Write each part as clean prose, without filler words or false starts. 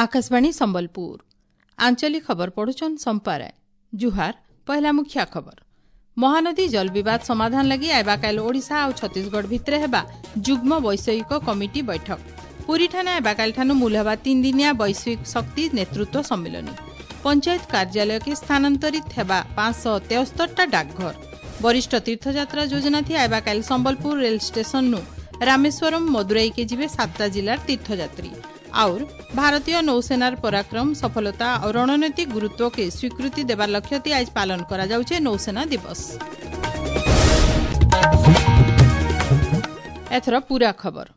ଆକାଶବାଣୀ ସମ୍ବଲପୁର ଆଞ୍ଚଳିକ ଖବର ପଢୁଛନ୍ ସମ୍ପାରାୟ। ଜୁହାର। ପହଲା ମୁଖ୍ୟ ଖବର। ମହାନଦୀ ଜଳ ବିବାଦ ସମାଧାନ ଲାଗି ଆଇବାକାଲ ଓଡ଼ିଶା ଆଉ ଛତିଶଗଡ଼ ଭିତରେ ହେବା ଯୁଗ୍ମ ବୈଷୟିକ କମିଟି ବୈଠକ। ପୁରୀଠାନେ ଆଇବାକାଲିଠାନୁ ମୂଲ ହେବା 3 ଦିନିଆ ବୈଶ୍ୱିକ ଶକ୍ତି ନେତୃତ୍ୱ ସମ୍ମିଳନୀ। ପଞ୍ଚାୟତ କାର୍ଯ୍ୟାଳୟକେ ସ୍ଥାନାନ୍ତରିତ ହେବା 573ଟା ଡାକଘର। ବରିଷ୍ଠ ତୀର୍ଥଯାତ୍ରା ଯୋଜନା ଥି ଆଇବାକାଲି ସମ୍ବଲପୁର ରେଲ ଷ୍ଟେସନନୁ ରାମେଶ୍ୱରମ, ମଦୁରାଇକେ ଯିବେ 7ଟା ଜିଲ୍ଲାର ତୀର୍ଥଯାତ୍ରୀ। और ଭାରତୀୟ ନୌସେନାର ପରାକ୍ରମ, ସଫଳତା ଆଉ ରଣନୈତିକ ଗୁରୁତ୍ୱକେ ସ୍ୱୀକୃତି ଦେବାର ଲକ୍ଷ୍ୟଥି ଆଜ ପାଳନ କରାଯାଉଛେ ନୌସେନା ଦିବସ। ଏଥର ପୂରା ଖବର।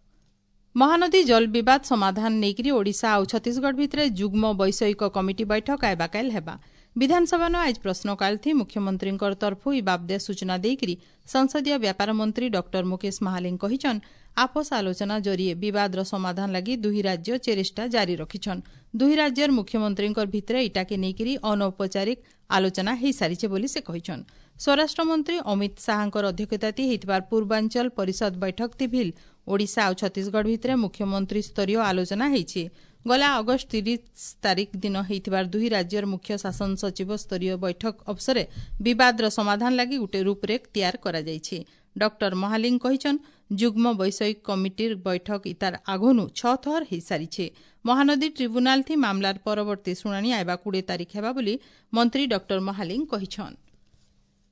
ମହାନଦୀ ଜଳ ବିବାଦ ସମାଧାନ ନେଇକରି ଓଡ଼ିଶା ଆଉ ଛତିଶଗଡ଼ ଭିତରେ ଯୁଗ୍ମ ବୈଷୟିକ କମିଟି ବୈଠକ ଆଇବାକାଲ ହେବା। ବିଧାନସଭାନ ଆଜ ପ୍ରଶ୍ନକାଳ ଥି ମୁଖ୍ୟମନ୍ତ୍ରୀଙ୍କର ତରଫୁ ଇ ବାବଦେ ସୂଚନା ଦେଇକରି ସଂସଦୀୟ ବ୍ୟାପାର ମନ୍ତ୍ରୀ ଡକ୍ଟର ମୁକେଶ ମହାଲିଙ୍ଗ କହିଛନ୍, ଆପୋଷ ଆଲୋଚନା ଜରିଏ ବିବାଦର ସମାଧାନ ଲାଗି ଦୁହି ରାଜ୍ୟ ଚେଷ୍ଟା ଜାରି ରଖିଛନ୍। ଦୁହି ରାଜ୍ୟର ମୁଖ୍ୟମନ୍ତ୍ରୀଙ୍କର ଭିତରେ ଇଟାକେ ନେଇକରି ଅନୌପଚାରିକ ଆଲୋଚନା ହୋଇସାରିছে ବୋଲି ସେ କହିଛନ୍। ସ୍ୱରାଷ୍ଟ୍ରମନ୍ତ୍ରୀ ଅମିତ ଶାହାଙ୍କର ଅଧ୍ୟକ୍ଷତାତି ହୋଇଥିବାର ପୂର୍ବାଞ୍ଚଳ ପରିଷଦ ବୈଠକ ଥି ଭିଲ୍ ଓଡ଼ିଶା ଆଉ ଛତିଶଗଡ଼ ଭିତରେ ମୁଖ୍ୟମନ୍ତ୍ରୀ ସ୍ତରୀୟ ଆଲୋଚନା ହୋଇଛି। ଗଲା ଅଗଷ୍ଟ 30 ତାରିଖ ଦିନ ହୋଇଥିବାର ଦୁହି ରାଜ୍ୟର ମୁଖ୍ୟ ଶାସନ ସଚିବ ସ୍ତରୀୟ ବୈଠକ ଅବସରେ ବିବାଦର ସମାଧାନ ଲାଗି ଗୋଟିଏ ରୂପରେଖ ତିଆର କରାଯାଇଛି। ଡକ୍ଟର ମହାଲିଙ୍ଗ କହିଛନ୍, ଯୁଗ୍ମ ବୈଷୟିକ କମିଟିର ବୈଠକ ଇତାର ଆଗନୁ 6 ଥର ହୋଇସାରିছে। ମହାନଦୀ ଟ୍ରିବ୍ୟୁନାଲ ଥି ମାମଲାର ପରବର୍ତ୍ତୀ ଶୁଣାଣି ଆଇବା 20 ତାରିଖ ହେବା ବୋଲି ମନ୍ତ୍ରୀ ଡକ୍ଟର ମହାଲିଙ୍ଗ କହିଛନ୍।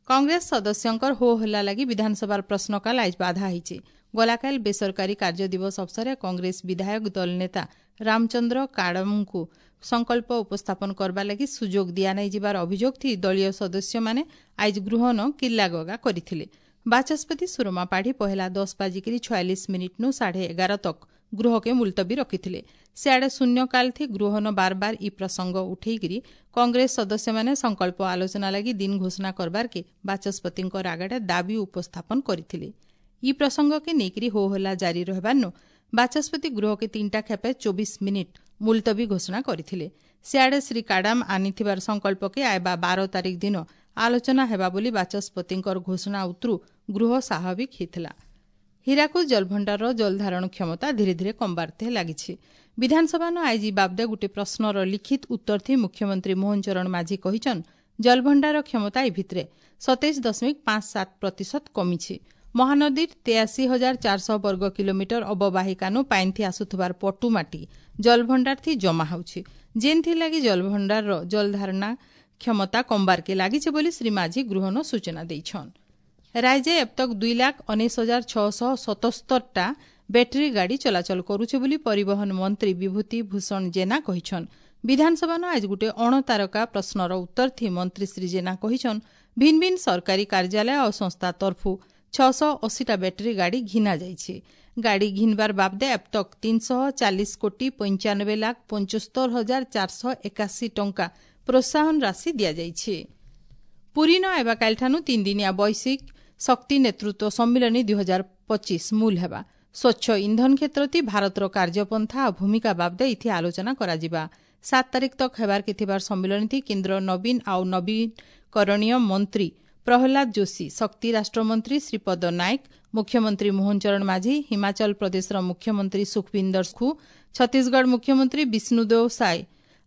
କଂଗ୍ରେସ ସଦସ୍ୟଙ୍କର ହୋ ହଲ୍ଲା ଲାଗି ବିଧାନସଭାର ପ୍ରଶ୍ନକାଳ ଆଜ ବାଧା ହୋଇଛି। ଗଲାକାଲି ବେସରକାରୀ କାର୍ଯ୍ୟ ଦିବସ ଅବସରରେ କଂଗ୍ରେସ ବିଧାୟକ ଦଳ ନେତା ରାମଚନ୍ଦ୍ର କାଡମଙ୍କୁ ସଂକଳ୍ପ ଉପସ୍ଥାପନ କରିବା ଲାଗି ସୁଯୋଗ ଦିଆନାଇଯିବାର ଅଭିଯୋଗ ଥି ଦଳୀୟ ସଦସ୍ୟମାନେ ଆଜ ଗୃହନ କିଲ୍ଲାଗଗା କରିଥିଲେ। ବାଚସ୍ପତି ସୁରମା ପାଢ଼ୀ ପହେଲା 10 ବାଜିକିରି 46 ମିନିଟ୍ନୁ 11:30 ତକ ଗୃହକେ ମୁଲତବୀ ରଖିଥିଲେ। ସିଆଡ଼େ ଶୂନ୍ୟକାଳ ଥି ଗୃହନ ବାରବାର ଇ ପ୍ରସଙ୍ଗ ଉଠେଇକିରି କଂଗ୍ରେସ ସଦସ୍ୟମାନେ ସଂକଳ୍ପ ଆଲୋଚନା ଲାଗି ଦିନ ଘୋଷଣା କରବାରକେ ବାଚସ୍ପତିଙ୍କ ଆଗରେ ଦାବି ଉପସ୍ଥାପନ କରିଥିଲେ। ଇ ପ୍ରସଙ୍ଗକେ ନେଇକରି ହୋ ହଲ୍ଲା ଜାରି ରହିବାରନୁ ବାଚସ୍ପତି ଗୃହକେ 3ଟା ଖେପେ 24 ମିନିଟ୍ ମୁଲତବୀ ଘୋଷଣା କରିଥିଲେ। ସିଆଡ଼େ ଶ୍ରୀ କାଡାମ ଆନିଥିବାର ସଂକଳ୍ପକେ ଆଇବା 12 ତାରିଖ ଦିନ ଆଲୋଚନା ହେବା ବୋଲି ବାଚସ୍ପତିଙ୍କର ଘୋଷଣା ଉତରୁ ଗୃହ ସ୍ୱାଭାବିକ ହୋଇଥିଲା। ହୀରାକୁଦ ଜଳଭଣ୍ଡାରର ଜଳଧାରଣ କ୍ଷମତା ଧୀରେ ଧୀରେ କମବାରତେ ଲାଗିଛି। ବିଧାନସଭାନ ଆଜି ବାବଦେ ଗୋଟିଏ ପ୍ରଶ୍ନର ଲିଖିତ ଉତ୍ତର ଥି ମୁଖ୍ୟମନ୍ତ୍ରୀ ମୋହନ ଚରଣ ମାଝୀ କହିଛନ୍, ଜଳଭଣ୍ଡାର କ୍ଷମତା ଏ ଭିତରେ 27.57% କମିଛି। ମହାନଦୀର 83,400 ବର୍ଗ କିଲୋମିଟର ଅବବାହିକାନୁ ପାଇନ୍ଥି ଆସୁଥିବାର ପଟୁ ମାଟି ଜଳଭଣ୍ଡାର ଥି ଜମା ହେଉଛି, ଯେନ୍ଥିଲାଗି ଜଳଭଣ୍ଡାରର ଜଳଧାରଣା କ୍ଷମତା କମବାରକେ ଲାଗିছে ବୋଲି ଶ୍ରୀ ମାଝୀ ଗୃହନ ସୂଚନା ଦେଇଛନ୍। ରାଜ୍ୟ ଏବତକ 2,19,677ଟା ବ୍ୟାଟେରୀ ଗାଡ଼ି ଚଳାଚଳ କରୁছে ବୋଲି ପରିବହନ ମନ୍ତ୍ରୀ ବିଭୂତି ଭୂଷଣ ଜେନା କହିଛନ୍। ବିଧାନସଭାନ ଆଜ ଗୋଟିଏ ଅଣତାରକା ପ୍ରଶ୍ନର ଉତ୍ତର ଥି ମନ୍ତ୍ରୀ ଶ୍ରୀ ଜେନା କହିଛନ୍, ଭିନ୍ନ ଭିନ୍ନ ସରକାରୀ କାର୍ଯ୍ୟାଳୟ ଆଉ ସଂସ୍ଥା ତରଫୁ 680ଟା ବ୍ୟାଟେରୀ ଗାଡ଼ି ଘିନା ଯାଇଛି। ଗାଡ଼ି ଘିନବାର ବାବଦେ ଏବତକ 340 କୋଟି 95 ଲାଖ 75 ହଜାର 481 ଟଙ୍କା ପ୍ରୋତ୍ସାହନ ରାଶି ଦିଆଯାଇଛି। ପୁରୀନ ଆଇବାକାଲିଠାନୁ 3 ଦିନିଆ ବୈଶ୍ୱିକ ଶକ୍ତି ନେତୃତ୍ୱ ସମ୍ମିଳନୀ 2025 ମୂଲ ହେବା। ସ୍ୱଚ୍ଛ ଇନ୍ଧନ କ୍ଷେତ୍ରତି ଭାରତର କାର୍ଯ୍ୟପନ୍ଥା ଆଉ ଭୂମିକା ବାବଦେ ଇଥି ଆଲୋଚନା କରାଯିବା। 7 ତାରିଖ ତକ ହେବାରକେ ଥିବାର ସମ୍ମିଳନୀ କେନ୍ଦ୍ର ନବୀନ ଆଉ ନବୀକରଣୀୟ ମନ୍ତ୍ରୀ ପ୍ରହ୍ଲାଦ ଯୋଶୀ, ଶକ୍ତି ରାଷ୍ଟ୍ରମନ୍ତ୍ରୀ ଶ୍ରୀପଦ ନାୟକ, ମୁଖ୍ୟମନ୍ତ୍ରୀ ମୋହନ ଚରଣ ମାଝୀ, ହିମାଚଳ ପ୍ରଦେଶର ମୁଖ୍ୟମନ୍ତ୍ରୀ ସୁଖବିନ୍ଦର ସୁଖୁ, ଛତିଶଗଡ଼ ମୁଖ୍ୟମନ୍ତ୍ରୀ ବିଷ୍ଣୁଦେଓ ସାଏ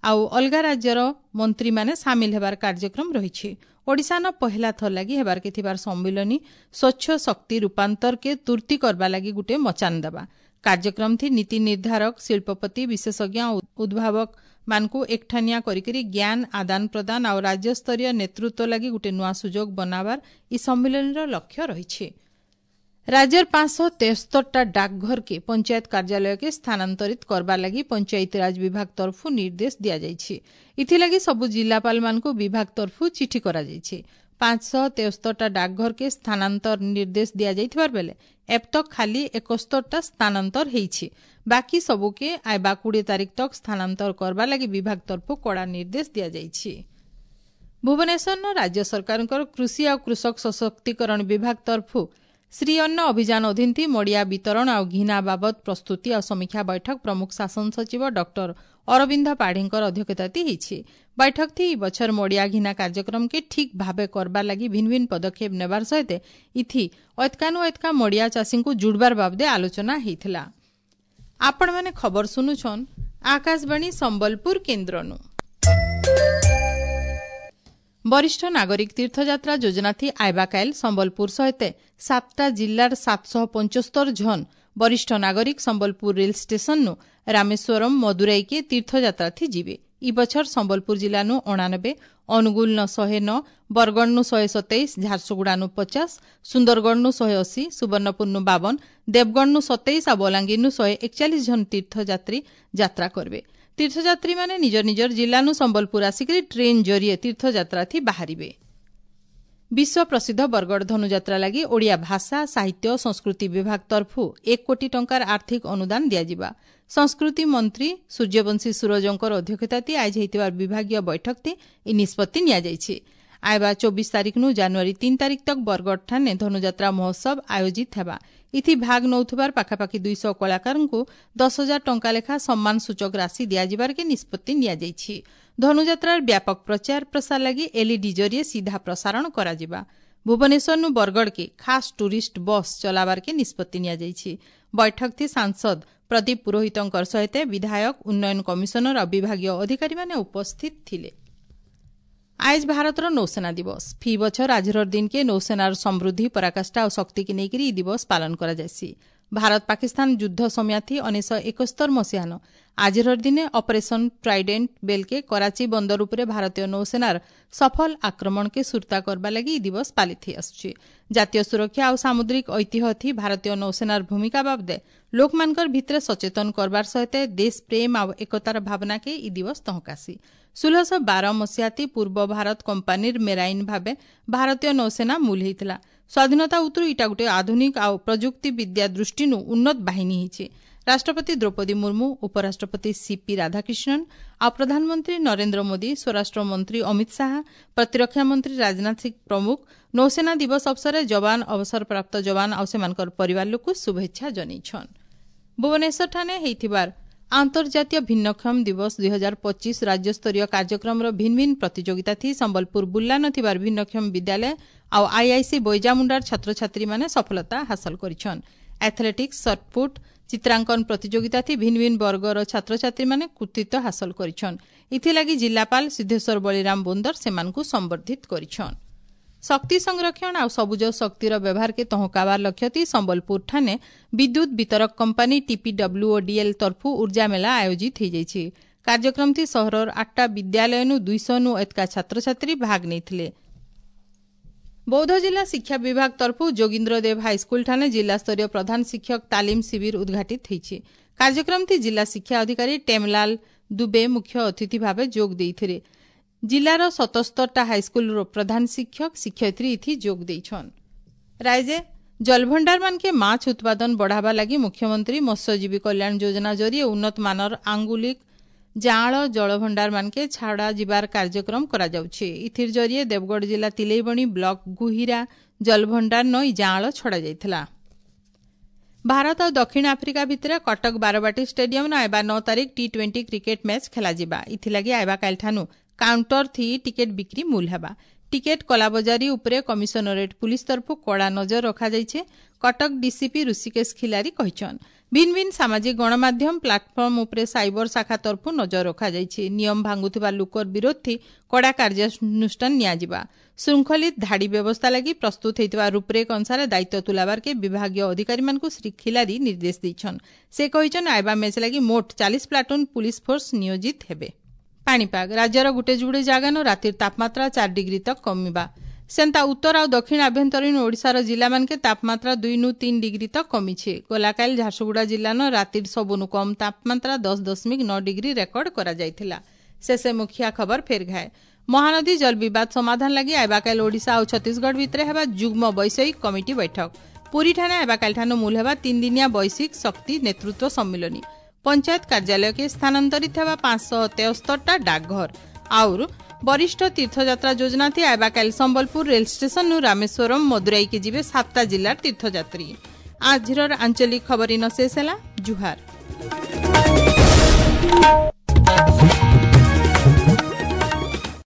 ଆଉ ଅଲଗା ରାଜ୍ୟର ମନ୍ତ୍ରୀମାନେ ସାମିଲ ହେବାର କାର୍ଯ୍ୟକ୍ରମ ରହିଛି। ଓଡ଼ିଶାନ ପହେଲା ଥର ଲାଗି ହେବାରକେ ଥିବାର ସମ୍ମିଳନୀ ସ୍ୱଚ୍ଛ ଶକ୍ତି ରୂପାନ୍ତରକେ ତୁର୍ତି କରବା ଲାଗି ଗୋଟିଏ ମଚାନ ଦେବା। କାର୍ଯ୍ୟକ୍ରମ ଥି ନୀତି ନିର୍ଦ୍ଧାରକ, ଶିଳ୍ପପତି, ବିଶେଷଜ୍ଞ ଆଉ ଉଦ୍ଭାବକ ମାନଙ୍କୁ ଏକଠାନିଆ କରିକିରି ଜ୍ଞାନ ଆଦାନ ପ୍ରଦାନ ଆଉ ରାଜ୍ୟସ୍ତରୀୟ ନେତୃତ୍ୱ ଲାଗି ଗୋଟିଏ ନୂଆ ସୁଯୋଗ ବନାବାର ଇ ସମ୍ମିଳନୀର ଲକ୍ଷ୍ୟ ରହିଛି। ରାଜ୍ୟର 573ଟା ଡାକଘରକେ ପଞ୍ଚାୟତ କାର୍ଯ୍ୟାଳୟକେ ସ୍ଥାନାନ୍ତରିତ କରବାର ଲାଗି ପଞ୍ଚାୟତିରାଜ ବିଭାଗ ତରଫୁ ନିର୍ଦ୍ଦେଶ ଦିଆଯାଇଛି। ଏଥିଲାଗି ସବୁ ଜିଲ୍ଲାପାଳମାନଙ୍କୁ ବିଭାଗ ତରଫୁ ଚିଠି କରାଯାଇଛି। 573ଟା ଡାକଘରକେ ସ୍ଥାନାନ୍ତର ନିର୍ଦ୍ଦେଶ ଦିଆଯାଇଥିବାର ବେଲେ ଏବତକ ଖାଲି 71ଟା ସ୍ଥାନାନ୍ତର ହେଇଛି। ବାକି ସବୁକେ ଆଇବା 20 ତାରିଖ ତକ ସ୍ଥାନାନ୍ତର କରବାର ଲାଗି ବିଭାଗ ତରଫୁ କଡ଼ା ନିର୍ଦ୍ଦେଶ ଦିଆଯାଇଛି। ଭୁବନେଶ୍ୱରର ରାଜ୍ୟ ସରକାରଙ୍କର କୃଷି ଆଉ କୃଷକ ସଶକ୍ତିକରଣ ବିଭାଗ ତରଫୁ ଶ୍ରୀ ଅନ୍ନ ଅଭିଯାନ ଅଧୀନ ମଡ଼ିଆ ବିତରଣ ଆଉ ଘିନା ବାବଦ ପ୍ରସ୍ତୁତି ଆଉ ସମୀକ୍ଷା ବୈଠକ ପ୍ରମୁଖ ଶାସନ ସଚିବ ଡକ୍ଟର ଅରବିନ୍ଦ ପାଢ଼ୀଙ୍କର ଅଧ୍ୟକ୍ଷତାତି ହେଇଛି। ବୈଠକ ଥି ଇ ବଛର ମଡ଼ିଆ ଘିନା କାର୍ଯ୍ୟକ୍ରମକେ ଠିକ୍ ଭାବେ କରବାର ଲାଗି ଭିନ୍ନ ଭିନ୍ନ ପଦକ୍ଷେପ ନେବାର ସହିତ ଇଥି ଐତକାନୁ ଐତକା ମଡ଼ିଆ ଚାଷୀଙ୍କୁ ଜୁଡ଼ବାର ବାବଦେ ଆଲୋଚନା ହେଇଥିଲା। ଆପଣମାନେ ଖବର ଶୁନୁଛନ୍ ଆକାଶବାଣୀ ସମ୍ବଲପୁର କେନ୍ଦ୍ରନୁ। ବରିଷ୍ଠ ନାଗରିକ ତୀର୍ଥଯାତ୍ରା ଯୋଜନାଥି ଆଇବାକାଇଲ ସମ୍ବଲପୁର ସହିତ 7ଟା ଜିଲ୍ଲାର 775 ଝନ୍ ବରିଷ୍ଠ ନାଗରିକ ସମ୍ବଲପୁର ରେଲ ଷ୍ଟେସନନୁ ରାମେଶ୍ୱରମ, ମଦୁରାଇକେ ତୀର୍ଥଯାତ୍ରାଥି ଯିବେ। ଇ ବଛର ସମ୍ବଲପୁର ଜିଲ୍ଲାନୁ 89, ଅନୁଗୁଳନ 109, ବରଗଡ଼ନୁ 127, ଝାରସୁଗୁଡ଼ାନୁ 50, ସୁନ୍ଦରଗଡ଼ନୁ 180, ସୁବର୍ଣ୍ଣପୁରନୁ 52, ଦେବଗଡ଼ନୁ 27 ଆଉ ବଲାଙ୍ଗୀରନୁ 141 ଜଣ ତୀର୍ଥଯାତ୍ରୀ ଯାତ୍ରା କରିବେ। ତୀର୍ଥଯାତ୍ରୀମାନେ ନିଜ ନିଜର ଜିଲ୍ଲାନୁ ସମ୍ବଲପୁର ଆସିକରି ଟ୍ରେନ୍ ଜରିଏ ତୀର୍ଥଯାତ୍ରାଥି ବାହାରିବେ। ବିଶ୍ୱ ପ୍ରସିଦ୍ଧ ବରଗଡ଼ ଧନୁଯାତ୍ରା ଲାଗି ଓଡ଼ିଆ ଭାଷା, ସାହିତ୍ୟ, ସଂସ୍କୃତି ବିଭାଗ ତରଫୁ 1 କୋଟି ଟଙ୍କାର ଆର୍ଥିକ ଅନୁଦାନ ଦିଆଯିବା। ସଂସ୍କୃତି ମନ୍ତ୍ରୀ ସୂର୍ଯ୍ୟବଂଶୀ ସୂରଜଙ୍କର ଅଧ୍ୟକ୍ଷତାତି ଆଇଜ ହେଇଥିବା ବିଭାଗୀୟ ବୈଠକତି ଏହି ନିଷ୍ପତ୍ତି ନିଆଯାଇଛି। ଆଇବା 24 ତାରିଖନୁ ଜାନୁଆରୀ 3 ତାରିଖ ତକ ବରଗଡ଼ ଠାନେ ଧନୁଯାତ୍ରା ମହୋତ୍ସବ ଆୟୋଜିତ ହେବା। ଇଥି ଭାଗ ନେଉଥିବାର ପାଖାପାଖି 200 କଳାକାରଙ୍କୁ 10,000 ଟଙ୍କା ଲେଖା ସମ୍ମାନ ସୂଚକ ରାଶି ଦିଆଯିବାରକେ ନିଷ୍ପତ୍ତି ନିଆଯାଇଛି। ଧନୁଯାତ୍ରାର ବ୍ୟାପକ ପ୍ରଚାର ପ୍ରସାର ଲାଗି ଏଲ୍ଇଡି ଜରିଏ ସିଧା ପ୍ରସାରଣ କରାଯିବା। ଭୁବନେଶ୍ୱରନୁ ବରଗଡ଼କେ ଖାସ୍ ଟୁରିଷ୍ଟ ବସ୍ ଚଲାବାରକେ ନିଷ୍ପତ୍ତି ନିଆଯାଇଛି। ବୈଠକଥି ସାଂସଦ ପ୍ରଦୀପ ପୁରୋହିତଙ୍କର ସହିତ ବିଧାୟକ, ଉନ୍ନୟନ କମିଶନର ଆଉ ବିଭାଗୀୟ ଅଧିକାରୀମାନେ ଉପସ୍ଥିତ ଥିଲେ। ଆଏଜ ଭାରତର ନୌସେନା ଦିବସ। ଫି ବଛର ଆଜିର ଦିନକେ ନୌସେନାର ସମୃଦ୍ଧି, ପରାକାଷ୍ଠା ଓ ଶକ୍ତିକେ ନେଇକରି ଇ ଦିବସ ପାଳନ କରାଯାଏସି। ଭାରତ ପାକିସ୍ତାନ ଯୁଦ୍ଧ ସମୟାଥି 1971 ମସିହାନ ଆଜିର ଦିନେ ଅପରେସନ ଟ୍ରାଇଡେଣ୍ଟ ବେଲ୍କେ କରାଚି ବନ୍ଦର ଉପରେ ଭାରତୀୟ ନୌସେନାର ସଫଳ ଆକ୍ରମଣକେ ସୁରତା କରବା ଲାଗି ଇ ଦିବସ ପାଳିତ ହେଇ ଆସୁଛି। ଜାତୀୟ ସୁରକ୍ଷା ଆଉ ସାମୁଦ୍ରିକ ଐତିହ୍ୟ ଭାରତୀୟ ନୌସେନାର ଭୂମିକା ବାବଦେ ଲୋକମାନଙ୍କର ଭିତରେ ସଚେତନ କରବାର ସହିତ ଦେଶ ପ୍ରେମ ଆଉ ଏକତାର ଭାବନାକେ ଇ ଦିବସ ତହକାସି। 1612 ମସିହାତି ପୂର୍ବ ଭାରତ କମ୍ପାନୀର ମେରାଇନ୍ ଭାବେ ଭାରତୀୟ ନୌସେନା ମୂଲ ହେଇଥିଲା। ସ୍ୱାଧୀନତା ଉତ୍ତରୁ ଇଟା ଗୋଟେ ଆଧୁନିକ ଆଉ ପ୍ରଯୁକ୍ତି ବିଦ୍ୟା ଦୃଷ୍ଟିନୁ ଉନ୍ନତ ବାହିନୀ ହେଇଛି। ରାଷ୍ଟ୍ରପତି ଦ୍ରୌପଦୀ ମୁର୍ମୁ, ଉପରାଷ୍ଟ୍ରପତି ସିପି ରାଧାକ୍ରିଷ୍ଣନ ଆଉ ପ୍ରଧାନମନ୍ତ୍ରୀ ନରେନ୍ଦ୍ର ମୋଦି, ସ୍ୱରାଷ୍ଟ୍ର ମନ୍ତ୍ରୀ ଅମିତ ଶାହା, ପ୍ରତିରକ୍ଷା ମନ୍ତ୍ରୀ ରାଜନାଥ ସିଂ ପ୍ରମୁଖ ନୌସେନା ଦିବସ ଅବସରରେ ଯବାନ, ଅବସରପ୍ରାପ୍ତ ଯବାନ ଆଉ ସେମାନଙ୍କର ପରିବାର ଲୋକଙ୍କୁ ଶୁଭେଚ୍ଛା ଜଣାଇଛନ୍। ଭୁବନେଶ୍ୱରଠାରେ ହେଇଥିବାର ଆନ୍ତର୍ଜାତୀୟ ଭିନ୍ନକ୍ଷମ ଦିବସ 2025 ରାଜ୍ୟସ୍ତରୀୟ କାର୍ଯ୍ୟକ୍ରମର ଭିନ୍ନ ଭିନ୍ନ ପ୍ରତିଯୋଗିତା ଥି ସମ୍ବଲପୁର ବୁର୍ଲା ଥିବାର ଭିନ୍ନକ୍ଷମ ବିଦ୍ୟାଳୟ ଆଉ ଆଇଆଇସି ବୈଜାମୁଣ୍ଡାର ଛାତ୍ରଛାତ୍ରୀମାନେ ସଫଳତା ହାସଲ କରିଛନ୍। ଆଥଲେଟିକ୍ସ, ସଟ୍ପୁଟ୍, ଚିତ୍ରାଙ୍କନ ପ୍ରତିଯୋଗିତା ଥି ଭିନ୍ନ ଭିନ୍ନ ବର୍ଗର ଛାତ୍ରଛାତ୍ରୀମାନେ କୃତିତ୍ୱ ହାସଲ କରିଛନ୍। ଏଥିଲାଗି ଜିଲ୍ଲାପାଳ ସିଦ୍ଧେଶ୍ୱର ବଳିରାମ ବୋନ୍ଦର ସେମାନଙ୍କୁ ସମ୍ବର୍ଦ୍ଧିତ କରିଛନ୍। ଶକ୍ତି ସଂରକ୍ଷଣ ଆଉ ସବୁଜ ଶକ୍ତିର ବ୍ୟବହାରକେ ତହକାବାର ଲକ୍ଷ୍ୟତି ସମ୍ବଲପୁର ଠାନେ ବିଦ୍ୟୁତ୍ ବିତରକ କମ୍ପାନୀ ଟିପିଡବ୍ଲ୍ୟୁଓଡିଏଲ୍ ତରଫୁ ଉର୍ଜା ମେଳା ଆୟୋଜିତ ହୋଇଯାଇଛି। କାର୍ଯ୍ୟକ୍ରମଥି ସହରର 8ଟା ବିଦ୍ୟାଳୟନୁ 200ନୁ ଏତକା ଛାତ୍ରଛାତ୍ରୀ ଭାଗ ନେଇଥିଲେ। ବୌଦ୍ଧ ଜିଲ୍ଲା ଶିକ୍ଷା ବିଭାଗ ତରଫୁ ଯୋଗୀନ୍ଦ୍ର ଦେବ ହାଇସ୍କୁଲ ଠାନେ ଜିଲ୍ଲାସ୍ତରୀୟ ପ୍ରଧାନ ଶିକ୍ଷକ ତାଲିମ ଶିବିର ଉଦ୍ଘାଟିତ ହୋଇଛି। କାର୍ଯ୍ୟକ୍ରମଥି ଜିଲ୍ଲା ଶିକ୍ଷା ଅଧିକାରୀ ଟେମଲାଲ ଦୁବେ ମୁଖ୍ୟ ଅତିଥି ଭାବେ ଯୋଗ ଦେଇଥିଲେ। ଜିଲ୍ଲାର 77ଟା ହାଇସ୍କୁଲର ପ୍ରଧାନ ଶିକ୍ଷକ, ଶିକ୍ଷୟିତ୍ରୀ ଇଥି ଯୋଗ ଦେଇଛନ୍। ରାଇଜେ ଜଳଭଣ୍ଡାରମାନକେ ମାଛ ଉତ୍ପାଦନ ବଢ଼ାବା ଲାଗି ମୁଖ୍ୟମନ୍ତ୍ରୀ ମତ୍ସ୍ୟଜୀବୀ କଲ୍ୟାଣ ଯୋଜନା ଜରିଏ ଉନ୍ନତ ମାନର ଆଙ୍ଗୁଲିକ ଜାଆଁଳ ଜଳଭଣ୍ଡାରମାନକେ ଛାଡ଼ା ଯିବାର କାର୍ଯ୍ୟକ୍ରମ କରାଯାଉଛି। ଇଥିର ଜରିଏ ଦେବଗଡ଼ ଜିଲ୍ଲା ତିଲେଇବଣି ବ୍ଲକ ଗୁହିରା ଜଳଭଣ୍ଡାର ନ ଇ ଜାଆଁଳ ଛଡ଼ାଯାଇଥିଲା। ଭାରତ ଆଉ ଦକ୍ଷିଣ ଆଫ୍ରିକା ଭିତରେ କଟକ ବାରବାଟୀ ଷ୍ଟାଡିୟମ୍ନ ଆଇବା 9 ତାରିଖ ଟି-20 କ୍ରିକେଟ ମ୍ୟାଚ୍ ଖେଳାଯିବା। ଇଥିଲାଗି ଆଇବା କାଲିଠାନୁ କାଉଣ୍ଟର ଥି ଟିକେଟ ବିକ୍ରି ମୂଲ ହେବା। ଟିକେଟ କଲାବଜାରୀ ଉପରେ କମିଶନରେଟ୍ ପୁଲିସ ତରଫୁ କଡ଼ା ନଜର ରଖାଯାଇଛି, କଟକ ଡିସିପି ଋଷିକେଶ ଖିଲାରୀ କହିଛନ୍। ଭିନ୍ନ ଭିନ୍ନ ସାମାଜିକ ଗଣମାଧ୍ୟମ ପ୍ଲାଟଫର୍ମ ଉପରେ ସାଇବର ଶାଖା ତରଫୁ ନଜର ରଖାଯାଇଛି। ନିୟମ ଭାଙ୍ଗୁଥିବା ଲୋକର ବିରୋଧୀ କଡ଼ା କାର୍ଯ୍ୟାନୁଷ୍ଠାନ ନିଆଯିବା। ଶୃଙ୍ଖଳିତ ଧାଡ଼ି ବ୍ୟବସ୍ଥା ଲାଗି ପ୍ରସ୍ତୁତ ହୋଇଥିବା ରୂପରେଖ ଅନୁସାରେ ଦାୟିତ୍ୱ ତୁଲାବାରକେ ବିଭାଗୀୟ ଅଧିକାରୀମାନଙ୍କୁ ଶ୍ରୀ ଖିଲାରୀ ନିର୍ଦ୍ଦେଶ ଦେଇଛନ୍। ସେ କହିଛନ୍, ଆଇବା ମ୍ୟାଚ୍ ଲାଗି ମୋଟ 40 ପ୍ଲାଟୁନ୍ ପୁଲିସ ଫୋର୍ସ ନିୟୋଜିତ ହେବେ। ପାଣିପାଗ: ରାଜ୍ୟର ଗୁଟେ ଯୁଡ଼େ ଜାଗାନୁ ରାତିର ତାପମାତ୍ରା 4 ଡିଗ୍ରୀ ତକ୍ କମିବା। ସେନ୍ତା ଉତ୍ତର ଆଉ ଦକ୍ଷିଣ ଆଭ୍ୟନ୍ତରୀଣ ଓଡ଼ିଶାର ଜିଲ୍ଲାମାନକେ ତାପମାତ୍ରା 2ନୁ 3 ଡିଗ୍ରୀ ତକ୍ କମିছে। ଗଲାକାଲି ଝାରସୁଗୁଡ଼ା ଜିଲ୍ଲାନ ରାତିର ସବୁନୁ କମ୍ ତାପମାତ୍ରା 10.9 ଡିଗ୍ରୀ ରେକର୍ଡ କରାଯାଇଥିଲା। ଶେଷେ ମୁଖିଆ ଖବର ଫେର ଘାଏ। ମହାନଦୀ ଜଳ ବିବାଦ ସମାଧାନ ଲାଗି ଆଇବାକାଲି ଓଡ଼ିଶା ଆଉ ଛତିଶଗଡ଼ ଭିତରେ ହେବା ଯୁଗ୍ମ ବୈଷୟିକ କମିଟି ବୈଠକ। ପୁରୀଠାରେ ଆଇବାକାଲିଠାନୁ ମୂଲ ହେବା 3 ଦିନିଆ ବୈଶ୍ୱିକ ଶକ୍ତି ନେତୃତ୍ୱ ସମ୍ମିଳନୀ। ପଞ୍ଚାୟତ କାର୍ଯ୍ୟାଳୟକେ ସ୍ଥାନାନ୍ତରିତ ହେବା 573ଟା ଡାକଘର। ଆଉର ବରିଷ୍ଠ ତୀର୍ଥଯାତ୍ରା ଯୋଜନା ଥି ଆଇବାକାଲି ସମ୍ବଲପୁର ରେଲ ଷ୍ଟେସନରୁ ରାମେଶ୍ୱରମ, ମଦୁରାଇକି ଯିବେ 7ଟା ଜିଲ୍ଲାର ତୀର୍ଥଯାତ୍ରୀ। ଆଜିର ଆଞ୍ଚଳିକ ଖବର ଇନ ଶେଷ ହେଲା। ଜୁହାର।